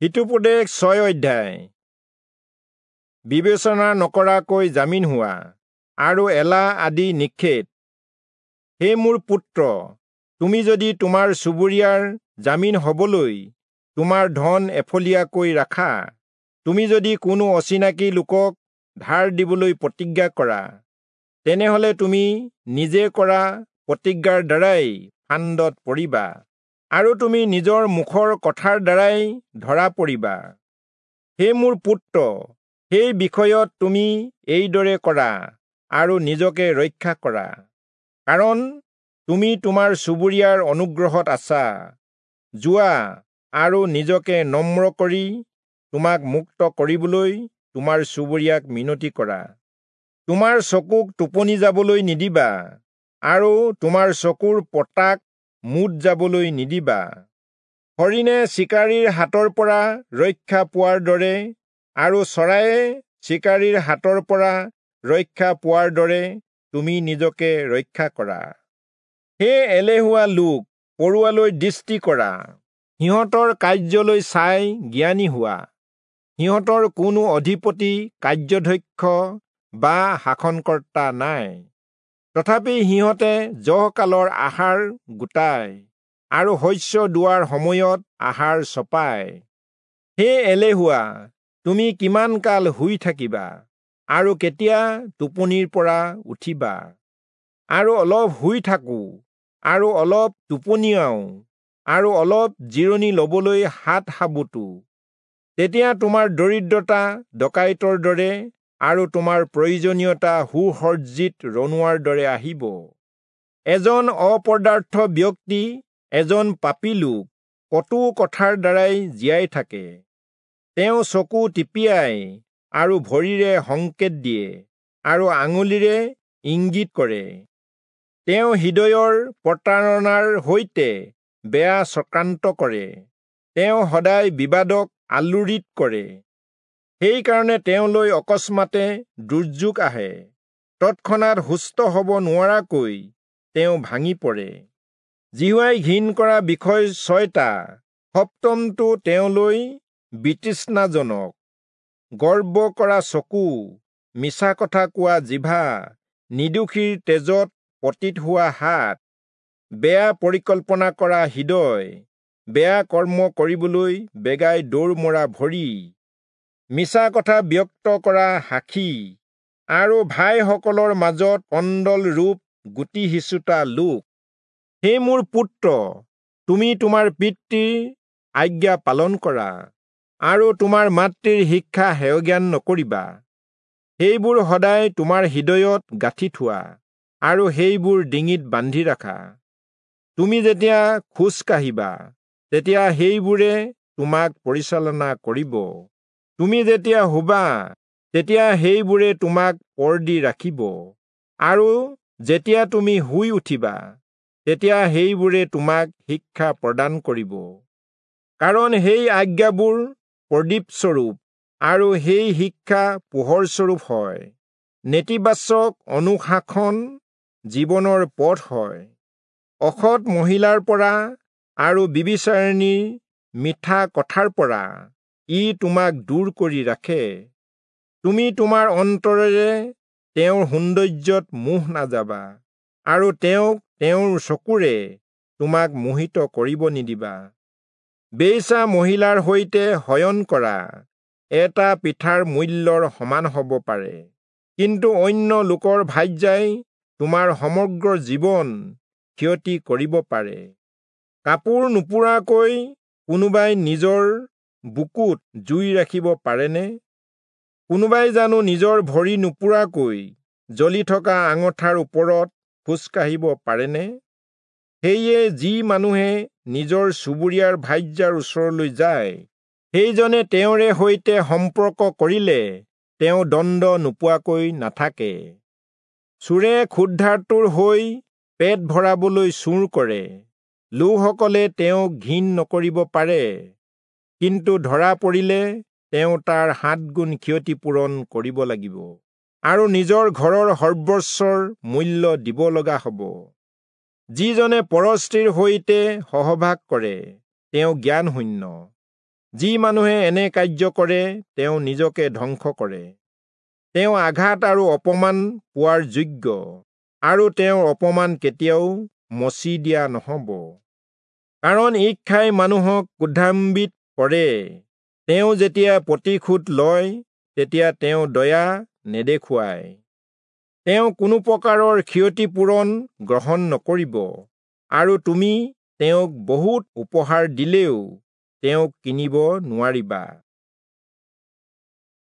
হিতোপদেশ 6 অধ্যায়। বিবেচনা নকৰাকৈ জামিন হোৱা আৰু এলাহ আদি নিষেধ। হে মোৰ পুত্ৰ, তুমি যদি তোমাৰ চুবুৰীয়াৰ জামিন হবলৈ তোমাৰ ধন এফলীয়াকৈ ৰাখা, তুমি যদি কোনো অচিনাকি লোকক ধাৰ দিবলৈ প্ৰতিজ্ঞা কৰা, তেনেহলে তুমি নিজে কৰা প্ৰতিজ্ঞাৰ দ্বাৰাই ফান্দত পৰিবা আৰু তুমি নিজৰ মুখৰ কথাৰ দ্বাৰাই ধৰা পৰিবা। হে মোৰ পুত্ৰ, সেই বিষয়ত তুমি এইদৰে কৰা আৰু নিজকে ৰক্ষা কৰা, কাৰণ তুমি তোমাৰ চুবুৰীয়াৰ অনুগ্ৰহত আছা। যোৱা আৰু নিজকে নম্ৰ কৰি তোমাক মুক্ত কৰিবলৈ তোমাৰ চুবুৰীয়াক মিনতি কৰা। তোমাৰ চকুক টোপনি যাবলৈ নিদিবা আৰু তোমাৰ চকুৰ পতাক মুদ যাবলৈ নিদিবা। হৰিণে চিকাৰীৰ হাতৰ পৰা ৰক্ষা পোৱাৰ দৰে আৰু চৰায়ে চিকাৰীৰ হাতৰ পৰা ৰক্ষা পোৱাৰ দৰে তুমি নিজকে ৰক্ষা কৰা। হে এলেহুৱা লোক, পৰুৱালৈ দৃষ্টি কৰা, সিহঁতৰ কাৰ্যলৈ চাই জ্ঞানী হোৱা। সিহঁতৰ কোনো অধিপতি, কাৰ্যধ্যক্ষ বা শাসনকৰ্তা নাই, তথাপি সিহঁতে জহকালৰ আহাৰ গোটায় আৰু শস্য দোৱাৰ সময়ত আহাৰ চপায়। হে এলেহুৱা, তুমি কিমান কাল শুই থাকিবা আৰু কেতিয়া টোপনিৰ পৰা উঠিবা? আৰু অলপ শুই থাকোঁ আৰু অলপ টোপনিয়াওঁ আৰু অলপ জিৰণি লবলৈ হাত সাবোতো, তেতিয়া তোমাৰ দৰিদ্ৰতা ডকাইতৰ দৰে আৰু তোমাৰ প্ৰয়োজনীয়তা সুসজ্জিত ৰণুৱাৰ দৰে আহিব। এজন অপদাৰ্থ ব্যক্তি, এজন পাপী লোক কটু কথাৰ দ্বাৰাই জীয়াই থাকে। তেওঁ চকু টিপিয়াই আৰু ভৰিৰে সংকেত দিয়ে আৰু আঙুলিৰে ইংগিত কৰে। তেওঁ হৃদয়ৰ প্ৰতাৰণাৰ সৈতে বেয়া চক্ৰান্ত কৰে। তেওঁ সদায় বিবাদক আলোড়িত কৰে। সেইকাৰণে তেওঁলৈ অকস্মাতে দুৰ্যোগ আহে, তৎক্ষণাত সুস্থ হ'ব নোৱাৰাকৈ তেওঁ ভাঙি পৰে। যিহোৱাই ঘিণ কৰা বিষয় 6টা, সপ্তমটো তেওঁলৈ বিতৃষ্ণাজনক: গৰ্ব কৰা চকু, মিছা কথা কোৱা জিভা, নিৰ্দোষীৰ তেজত পতিত হোৱা হাত, বেয়া পৰিকল্পনা কৰা হৃদয়, বেয়া কৰ্ম কৰিবলৈ বেগাই দৌৰ মৰা ভৰি, মিছা কথা ব্যক্ত কৰা সাক্ষী, আৰু ভাইসকলৰ মাজত কন্দল ৰূপ গুটি সিঁচোতা লোক। হে মোৰ পুত্ৰ, তুমি তোমাৰ পিতৃৰ আজ্ঞা পালন কৰা আৰু তোমাৰ মাতৃৰ শিক্ষা হেয়জ্ঞান নকৰিবা। সেইবোৰ সদায় তোমাৰ হৃদয়ত গাঁঠি থোৱা আৰু সেইবোৰ ডিঙিত বান্ধি ৰাখা। তুমি যেতিয়া খোজ কাঢ়িবা, তেতিয়া সেইবোৰে তোমাক পৰিচালনা কৰিব। তুমি যেতিয়া শুবা, তেতিয়া সেইবোৰে তোমাক পৰ দি ৰাখিব, আৰু যেতিয়া তুমি শুই উঠিবা, তেতিয়া সেইবোৰে তোমাক শিক্ষা প্ৰদান কৰিব। কাৰণ সেই আজ্ঞাবোৰ প্ৰদীপস্বৰূপ আৰু সেই শিক্ষা পোহৰস্বৰূপ হয়। নেতিবাচক অনুশাসন জীৱনৰ পথ হয়। অসৎ মহিলাৰ পৰা আৰু ব্যভিচাৰিণীৰ মিঠা কথাৰ পৰা ই তোমাক দূৰ কৰি ৰাখে। তুমি তোমাৰ অন্তৰেৰে তেওঁৰ সৌন্দৰ্যত মোহ নাযাবা আৰু তেওঁক তেওঁৰ চকুৰে তোমাক মোহিত কৰিব নিদিবা। বেশ্যা মহিলাৰ সৈতে শয়ন কৰা এটা পিঠাৰ মূল্যৰ সমান হ'ব পাৰে, কিন্তু অন্য লোকৰ ভাৰ্যাই তোমাৰ সমগ্ৰ জীৱন ক্ষতি কৰিব পাৰে। কাপোৰ নোপোৰাকৈ কোনোবাই নিজৰ বুকুত জুই ৰাখিব পাৰেনে? কোনোবাই জানো নিজৰ ভৰি নোপোৰাকৈ জ্বলি থকা আঙঠাৰ ওপৰত খোজকাঢ়িব পাৰেনে? সেয়ে যি মানুহে নিজৰ চুবুৰীয়াৰ ভাৰ্যাৰ ওচৰলৈ যায়, সেইজনে তেওঁৰে সৈতে সম্পৰ্ক কৰিলে তেওঁ দণ্ড নোপোৱাকৈ নাথাকে। চোৰে ক্ষুধাৰ্তৰ হৈ পেট ভৰাবলৈ চুৰ কৰে। লোকসকলে তেওঁক ঘিণ নকৰিব পাৰে, কিন্তু ধৰা পৰিলে তেওঁ তাৰ 7 গুণ ক্ষতিপূৰণ কৰিব লাগিব আৰু নিজৰ ঘৰৰ সৰ্বস্বৰ মূল্য দিব লগা হ'ব। যিজনে পৰস্ত্ৰীৰ সৈতে সহবাস কৰে, তেওঁ জ্ঞানশূন্য। যি মানুহে এনে কাৰ্য কৰে তেওঁ নিজকে ধ্বংস কৰে। তেওঁ আঘাত আৰু অপমান পোৱাৰ যোগ্য, আৰু তেওঁৰ অপমান কেতিয়াও মচি দিয়া নহ'ব। কাৰণ ঈৰ্ষাই মানুহক ক্ৰোধান্বিত কৰে। তেওঁ যেতিয়া প্ৰতিশোধ লয় তেতিয়া তেওঁ দয়া নেদেখুৱায়। তেওঁ কোনো প্ৰকাৰৰ ক্ষতিপূৰণ গ্ৰহণ নকৰিব, আৰু তুমি তেওঁক বহুত উপহাৰ দিলেও তেওঁক কিনিব নোৱাৰিবা।